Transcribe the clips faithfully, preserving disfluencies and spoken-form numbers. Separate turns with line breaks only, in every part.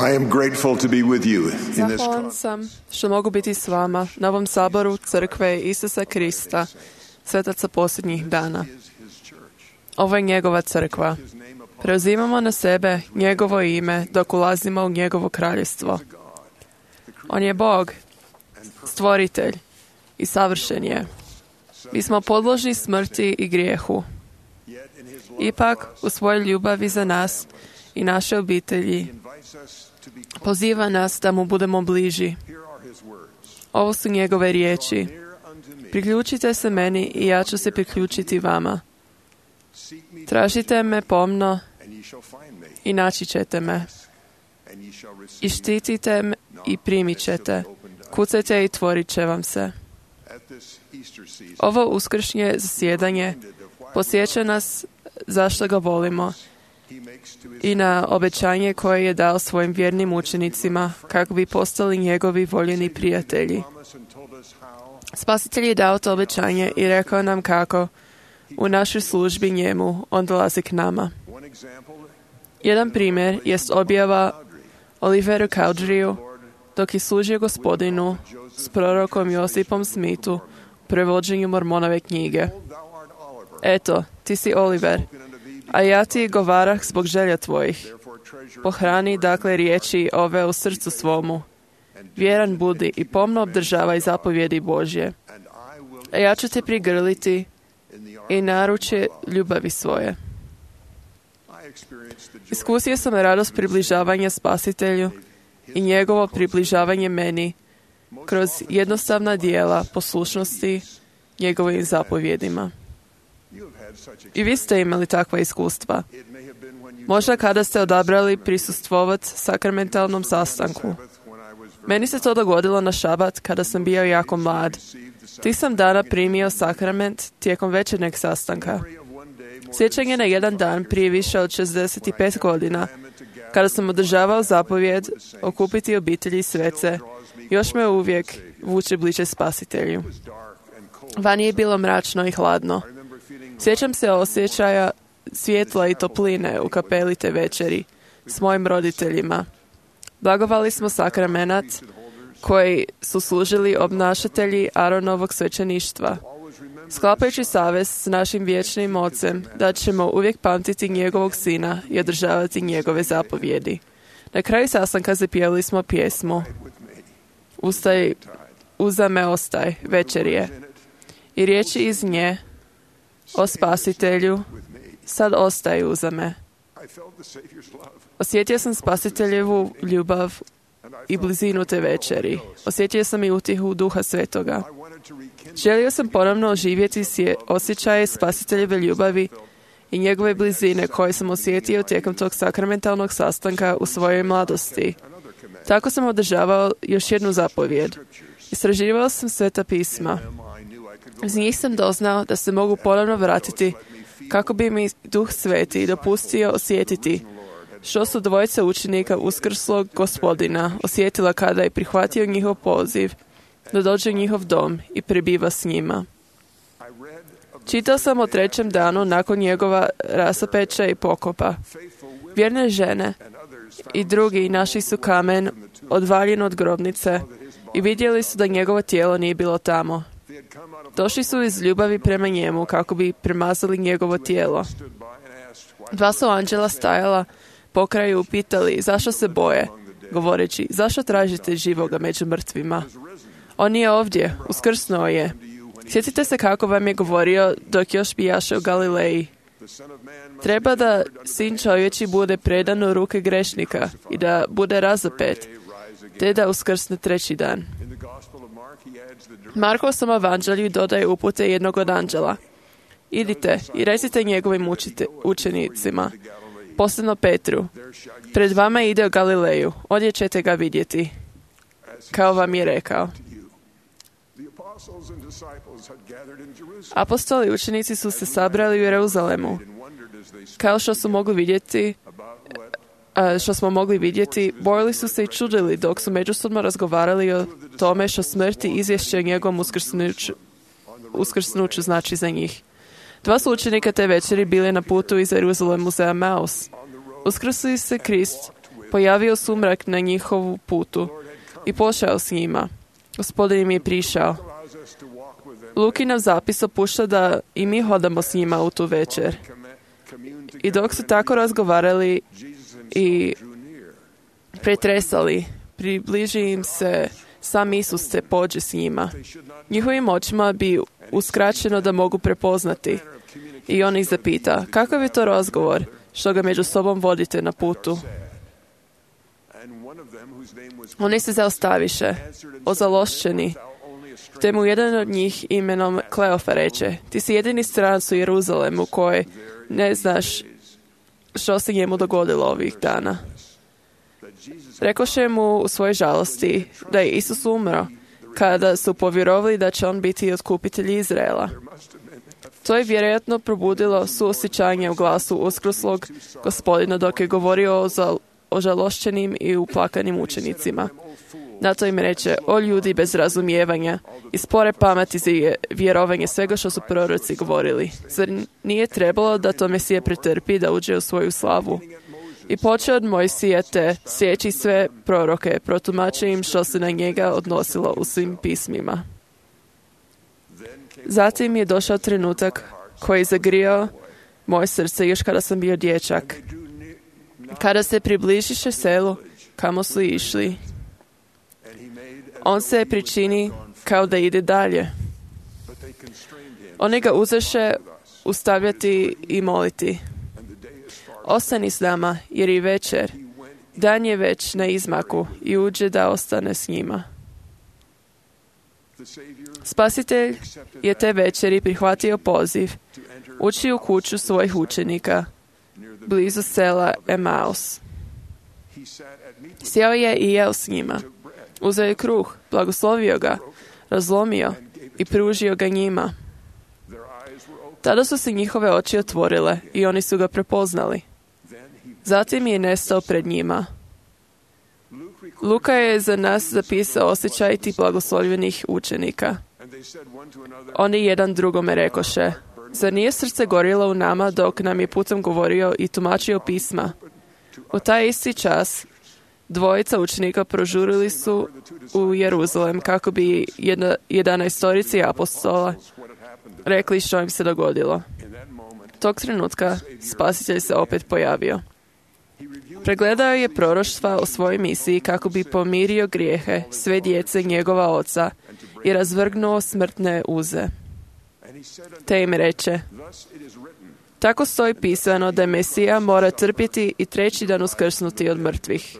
I am grateful to be with you in this
Zahvalan sam što mogu biti s vama na ovom saboru Crkve Isusa Krista, svetaca posljednjih dana. Ovo je njegova crkva. Preuzimamo na sebe njegovo ime dok ulazimo u njegovo kraljestvo. On je Bog, stvoritelj i savršen je. Mi smo podložni smrti i grijehu. Ipak, u svojoj ljubavi za nas i naše obitelji, poziva nas da mu budemo bliži. Ovo su njegove riječi. Priključite se meni i ja ću se priključiti vama. Tražite me pomno i naći ćete me. I štitite me i primit ćete. Kucajte i tvorit će vam se. Ovo uskršnje zasjedanje podsjeća nas zašto ga volimo i na obećanje koje je dao svojim vjernim učenicima kako bi postali njegovi voljeni prijatelji. Spasitelj je dao to obećanje i rekao nam kako u našoj službi njemu on dolazi k nama. Jedan primjer jest objava Oliveru Cowderiju dok je služio Gospodinu s prorokom Josipom Smithu u prevođenju Mormonove knjige. Eto, ti si Oliver, a ja ti govarah zbog želja tvojih. Pohrani dakle riječi ove u srcu svomu. Vjeran budi i pomno obdržavaj zapovjedi Božje. A ja ću te prigrliti i naručje ljubavi svoje. Iskusio sam radost približavanja Spasitelju i njegovo približavanje meni kroz jednostavna dijela poslušnosti njegovim zapovjedima. I vi ste imali takva iskustva. Možda kada ste odabrali prisustvovati sakramentalnom sastanku. Meni se to dogodilo na šabat kada sam bio jako mlad. Ti sam dana primio sakrament tijekom večernjeg sastanka. Sjećanje na jedan dan prije više od šezdeset pet godina, kada sam održavao zapovjed okupiti obitelji svece, još me uvijek vuče bliže Spasitelju. Vani je bilo mračno i hladno. Sjećam se osjećaja svjetla i topline u kapeli te večeri s mojim roditeljima. Blagovali smo sakramenat koji su služili obnašatelji Aronovog svećeništva. Sklapajući savez s našim vječnim ocem da ćemo uvijek pamtiti njegovog sina i održavati njegove zapovjedi. Na kraju sastanka zapjevali smo pjesmu Ustaj, uza me ostaj, večer je. I riječi iz nje o Spasitelju, sad ostaj uza me. Osjetio sam Spasiteljevu ljubav i blizinu te večeri. Osjetio sam i utihu Duha Svetoga. Želio sam ponovno oživjeti osjećaje Spasiteljeve ljubavi i njegove blizine koje sam osjetio tijekom tog sakramentalnog sastanka u svojoj mladosti. Tako sam održavao još jednu zapovjed. Istraživao sam Sveta pisma. Iz njih sam doznao da se mogu ponovno vratiti kako bi mi Duh Sveti dopustio osjetiti što su dvojica učenika uskrslog Gospodina osjetila kada je prihvatio njihov poziv da dođe u njihov dom i prebiva s njima. Čitao sam o trećem danu nakon njegova rasapeća i pokopa. Vjerne žene i drugi našli su kamen odvaljen od grobnice i vidjeli su da njegovo tijelo nije bilo tamo. Došli su iz ljubavi prema njemu kako bi premazali njegovo tijelo. Dva su anđela stajala pokraj upitali zašto se boje, govoreći zašto tražite živoga među mrtvima. On je ovdje, uskrsnuo je. Sjetite se kako vam je govorio dok još bijaše u Galileji. Treba da sin čovječi bude predan u ruke grešnika i da bude razapet, te da uskrsne treći dan. Markov sam evanđelju dodaje upute jednog od anđela. Idite i recite njegovim učite, učenicima, posebno Petru, pred vama ide u Galileju, ondje ćete ga vidjeti, kao vam je rekao. Apostoli i učenici su se sabrali u Jeruzalemu. Kao što su mogli vidjeti, što smo mogli vidjeti, bojili su se i čudili dok su međusobno razgovarali o tome što smrti izvješće o njegovom uskrsnuću, uskrsnuću znači za njih. Dva su učenika te večeri bili na putu iz Jeruzalemu za Emaus. Uskrsli se Krist pojavio sumrak na njihovu putu i pošao s njima. Gospodin im je prišao. Luki nam zapis opušta da i mi hodamo s njima u tu večer. I dok su tako razgovarali i pretresali, približi im se sam Isus te pođe s njima. Njihovim očima bi uskraćeno da mogu prepoznati. I on ih zapita, kakav je to razgovor što ga među sobom vodite na putu? Oni se zaostaviše, ozalošćeni, te mu jedan od njih imenom Kleofa reče, ti si jedini stranac u Jeruzalemu koji ne znaš što se njemu dogodilo ovih dana. Rekoše mu u svojoj žalosti da je Isus umro kada su povjerovali da će on biti otkupitelj Izraela. To je vjerojatno probudilo suosjećanje u glasu uskruslog Gospodina dok je govorio o zal- ožalošćenim i uplakanim učenicima. Na to im reče, o ljudi bez razumijevanja i spore pameti za vjerovanje svega što su proroci govorili. Zar nije trebalo da to Mesija pretrpi da uđe u svoju slavu? I počeo od Mojsija te sjeći sve proroke, protumači im što se na njega odnosilo u svim pismima. Zatim je došao trenutak koji je zagrijao moje srce još kada sam bio dječak. Kada se približiše selu kamo su išli, on se pričini kao da ide dalje. Oni ga uzeše ustavljati i moliti. Ostani s nama, jer je večer. Dan je već na izmaku i uđe da ostane s njima. Spasitelj je te večeri prihvatio poziv, ući u kuću svojih učenika, blizu sela Emaus. Sjeo je i jeo s njima. Uzeo je kruh, blagoslovio ga, razlomio i pružio ga njima. Tada su se njihove oči otvorile i oni su ga prepoznali. Zatim je nestao pred njima. Luka je za nas zapisao osjećaj tih blagoslovljenih učenika. Oni jedan drugome rekoše, zar nije srce gorilo u nama dok nam je putem govorio i tumačio pisma? U taj isti čas dvojica učenika prožurili su u Jeruzalem kako bi jedna, jedanaestorici apostola rekli što im se dogodilo. Tog trenutka Spasitelj se opet pojavio. Pregledao je proroštva o svojoj misiji kako bi pomirio grijehe sve djece njegova oca i razvrgnuo smrtne uze. Te im reče, tako stoji pisano da Mesija mora trpjeti i treći dan uskrsnuti od mrtvih.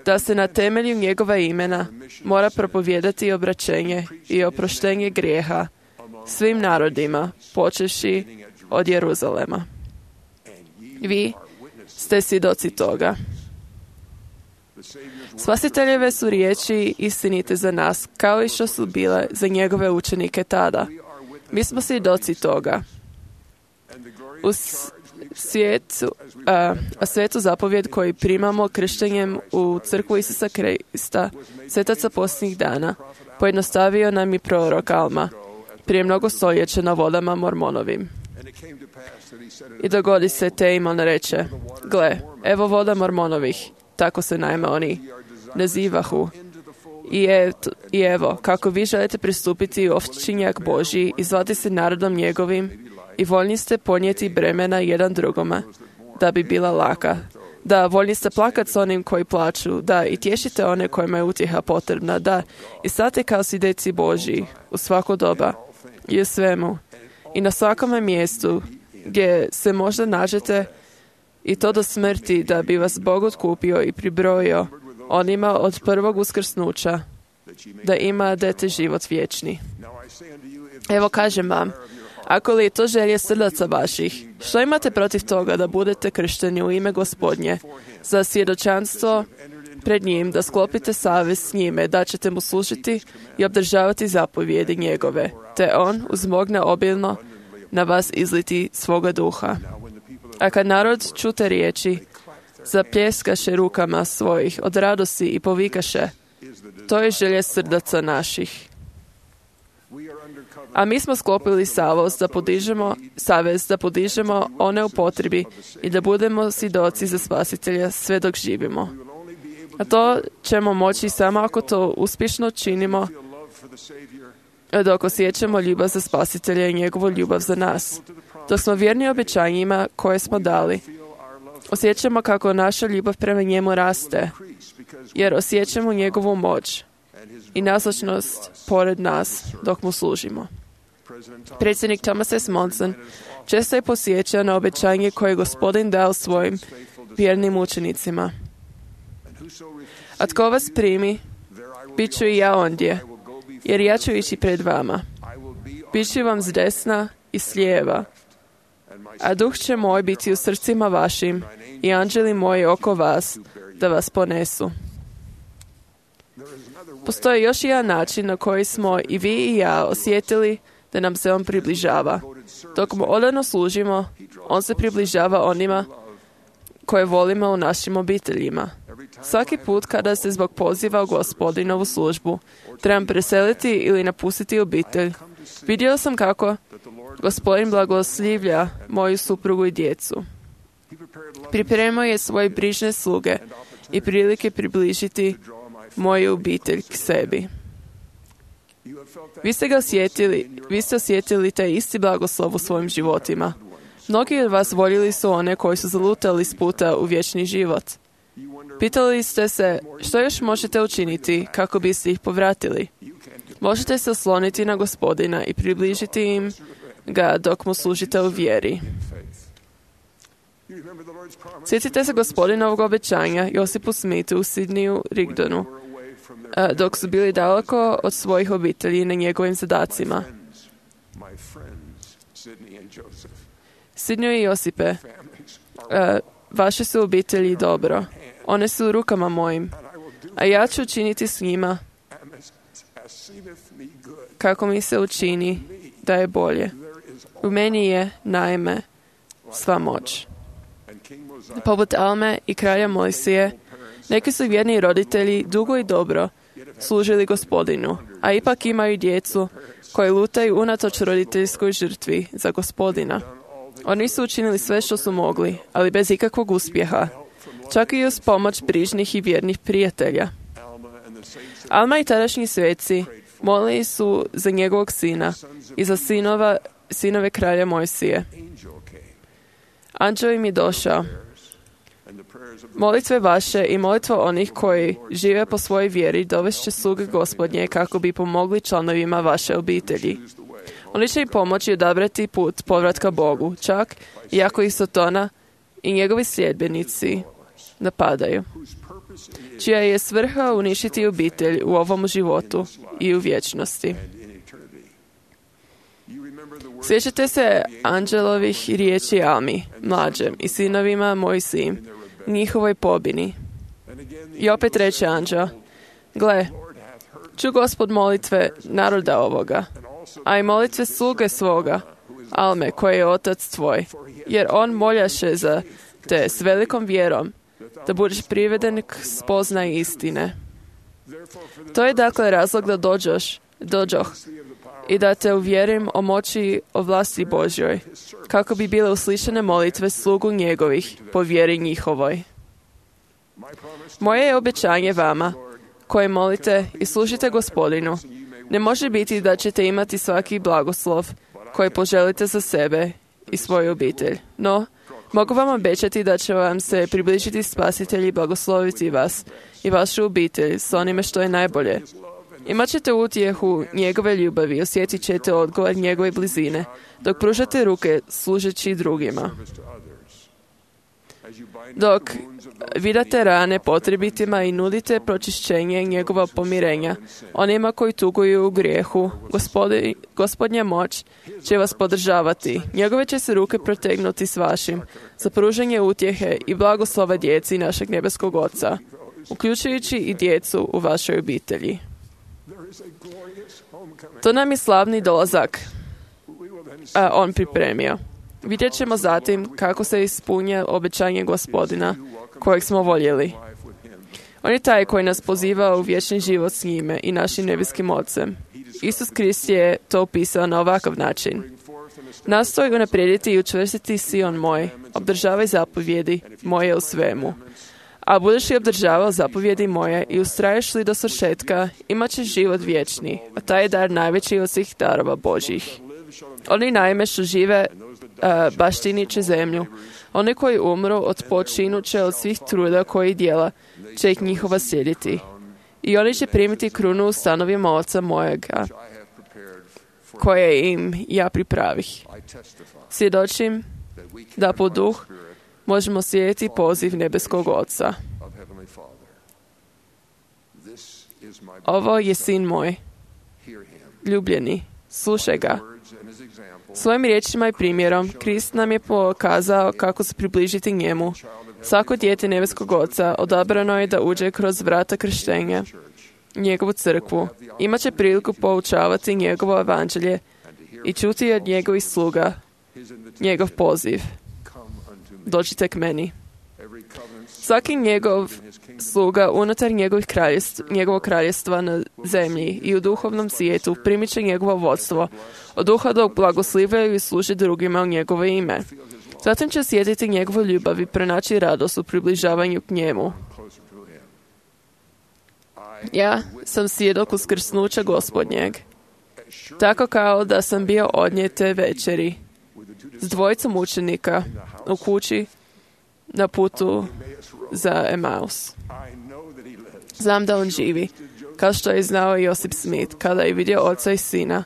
Da se na temelju njegova imena mora propovijedati obraćenje i oproštenje grijeha svim narodima, počevši od Jeruzalema. Vi ste svjedoci toga. Spasiteljeve su riječi istinite za nas, kao i što su bile za njegove učenike tada. Mi smo svjedoci toga. U svijetu, a, a svetu zapovjed koji primamo krštenjem u crkvu Isusa Krista, svetaca posljednjih dana, pojednostavio nam i prorok Alma, prije mnogo stoljeća na vodama Mormonovim. I dogodi se te im on reče, gle, evo voda Mormonovih, tako se naime oni nazivahu. I, je, I evo, kako vi želite pristupiti u ovčinjak Božji i zvati se narodom njegovim i voljni ste ponijeti bremena jedan drugoma, da bi bila laka. Da, voljni ste plakat s onim koji plaču, da, i tješite one kojima je utjeha potrebna, da, i state kao si deci Božji u svako doba i u svemu i na svakome mjestu gdje se možda nađete i to do smrti, da bi vas Bog otkupio i pribrojio onima od prvog uskrsnuća, da imadete život vječni. Evo kažem vam, ako li je to želje srdaca vaših, što imate protiv toga da budete kršteni u ime Gospodnje, za svjedočanstvo pred njim, da sklopite savez s njime, da ćete mu služiti i obdržavati zapovjedi njegove, te on uzmogne obilno na vas izliti svoga duha. A kad narod čute riječi, zapljeskaše rukama svojih od radosti i povikaše, to je želje srdaca naših. A mi smo sklopili savez da podižemo, savez da podižemo one u potrebi i da budemo svjedoci za Spasitelja sve dok živimo. A to ćemo moći samo ako to uspješno činimo, dok osjećamo ljubav za Spasitelja i njegovu ljubav za nas. Dok smo vjerni obećanjima koje smo dali, osjećamo kako naša ljubav prema njemu raste, jer osjećamo njegovu moć i nazočnost pored nas dok mu služimo. Predsjednik Thomas S. Monson često je posjećao na obećanje koje je Gospodin dao svojim vjernim učenicima. A tko vas primi, bit ću i ja ondje, jer ja ću ići pred vama. Bit ću vam s desna i s lijeva, a duh će moj biti u srcima vašim i anđeli moji oko vas, da vas ponesu. Postoji još jedan način na koji smo i vi i ja osjetili da nam se on približava. Dok mu odano služimo, on se približava onima koje volimo u našim obiteljima. Svaki put kada se zbog poziva u Gospodinovu službu trebam preseliti ili napustiti obitelj, vidio sam kako Gospodin blagoslivlja moju suprugu i djecu. Pripremao je svoje brižne sluge i prilike približiti moju obitelj k sebi. Vi ste ga osjetili, vi ste osjetili taj isti blagoslov u svojim životima. Mnogi od vas voljeli su one koji su zalutali s puta u vječni život. Pitali ste se što još možete učiniti kako biste ih povratili. Možete se osloniti na Gospodina i približiti im ga dok mu služite u vjeri. Sjetite se Gospodinovog obećanja Josipu Smithu u Sidneyu Rigdonu, dok su bili daleko od svojih obitelji na njegovim zadacima. Sidneyu i Josipe, vaše su obitelji dobro. One su u rukama mojim, a ja ću učiniti s njima kako mi se učini da je bolje. U meni je, naime, sva moć. Poput Alme i kralja Mojsije, neki su vjerni roditelji dugo i dobro služili Gospodinu, a ipak imaju djecu koji lutaju unatoč roditeljskoj žrtvi za Gospodina. Oni su učinili sve što su mogli, ali bez ikakvog uspjeha, čak i uz pomoć brižnih i vjernih prijatelja. Alma i tadašnji sveci molili su za njegovog sina i za sinova, sinove kralja Mojsije. Anđeo im je došao. Molitve vaše i molitva onih koji žive po svojoj vjeri dovest će sluge Gospodnje kako bi pomogli članovima vaše obitelji. Oni će im pomoći odabrati put povratka Bogu, čak i ako ih Sotona i njegovi sljedbenici napadaju, čija je svrha uništiti obitelj u ovom životu i u vječnosti. Sjećate se anđelovih riječi Almi, mlađem, i sinovima Mojsijim, njihovoj pobini. I opet reče anđeo, gle, ču Gospod molitve naroda ovoga, a i molitve sluge svoga, Alme, koji je otac tvoj, jer on moljaše za te s velikom vjerom, da budeš priveden k spoznaji istine. To je dakle razlog da dođoš, dođoh, i da te uvjerim o moći o vlasti Božjoj, kako bi bile uslišane molitve slugu njegovih po vjeri njihovoj. Moje je obećanje vama, koje molite i služite Gospodinu, ne može biti da ćete imati svaki blagoslov koji poželite za sebe i svoju obitelj. No, mogu vam obećati da će vam se približiti Spasitelj i blagosloviti vas i vašu obitelj s onime što je najbolje. Imat ćete utjehu njegove ljubavi, osjetit ćete odgovor njegove blizine, dok pružate ruke služeći drugima. Dok vidate rane potrebitima i nudite pročišćenje njegova pomirenja, onima koji tuguju u grijehu, gospodi, Gospodnja moć će vas podržavati. Njegove će se ruke protegnuti s vašim za pružanje utjehe i blagoslova djeci našeg nebeskog Oca, uključujući i djecu u vašoj obitelji. To nam je slavni dolazak, a on pripremio. Vidjet ćemo zatim kako se ispunja obećanje Gospodina kojeg smo voljeli. On je taj koji nas poziva u vječni život s njime i našim nebeskim Ocem. Isus Krist je to opisao na ovakav način. Nastoj unaprijediti i učvrstiti Sion moj, obdržavaj zapovjedi moje u svemu. A budeš li obdržavao zapovjedi moje i ustraješ li do svršetka, imat ćeš život vječni, a taj je dar najveći od svih darova Božjih. Oni naime što žive uh, baštinit će zemlju. Oni koji umru odpočinut će od svih truda koji dijela, će ih njihova slijediti. I oni će primiti krunu u stanovima Oca mojega, koje im ja pripravih. Svjedočim da po duh možemo slijediti poziv nebeskog Oca. Ovo je sin moj, ljubljeni, slušaj ga. Svojim riječima i primjerom Krist nam je pokazao kako se približiti njemu. Svako dijete nebeskog Oca odabrano je da uđe kroz vrata krštenja, njegovu crkvu. Imaće priliku poučavati njegovo evanđelje i čuti od njegovih sluga njegov poziv. Dođite k meni. Svaki njegov sluga unutar njegovih kraljestv, njegovog kraljestva na zemlji i u duhovnom svijetu primit će njegovo vodstvo, od duha dok blagoslivljaju i služe drugima u njegovo ime. Zatim će sjetiti njegovu ljubav i pronaći radost u približavanju k njemu. Ja sam svjedok uskrsnuća Gospodnjeg, tako kao da sam bio odnije te večeri s dvojicom učenika u kući na putu za Emaus. Znam da on živi, kao što je znao i Josip Smith, kada je vidio oca i sina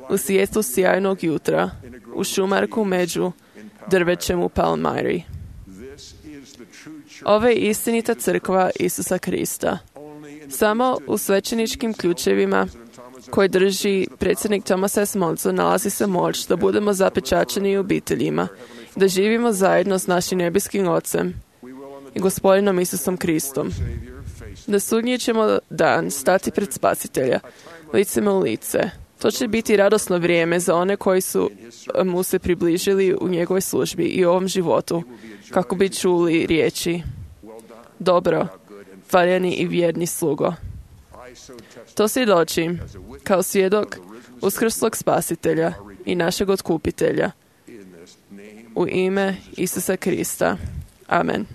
u svijetu sjajnog jutra, u šumarku među drvećem u Palmyri. Ovo je istinita crkva Isusa Krista. Samo u svećeničkim ključevima koji drži predsjednik Thomas S. Monson nalazi se moć da budemo zapečaćeni u obiteljima, da živimo zajedno s našim nebeskim Ocem i Gospodinom Isusom Kristom. Da sudnji ćemo dan stati pred Spasitelja, licem u lice. To će biti radosno vrijeme za one koji su mu se približili u njegovoj službi i u ovom životu, kako bi čuli riječi: dobro, valjani i vjerni slugo. To svjedočim kao svjedok uskrslog Spasitelja i našeg Otkupitelja u ime Isusa Krista. Amen.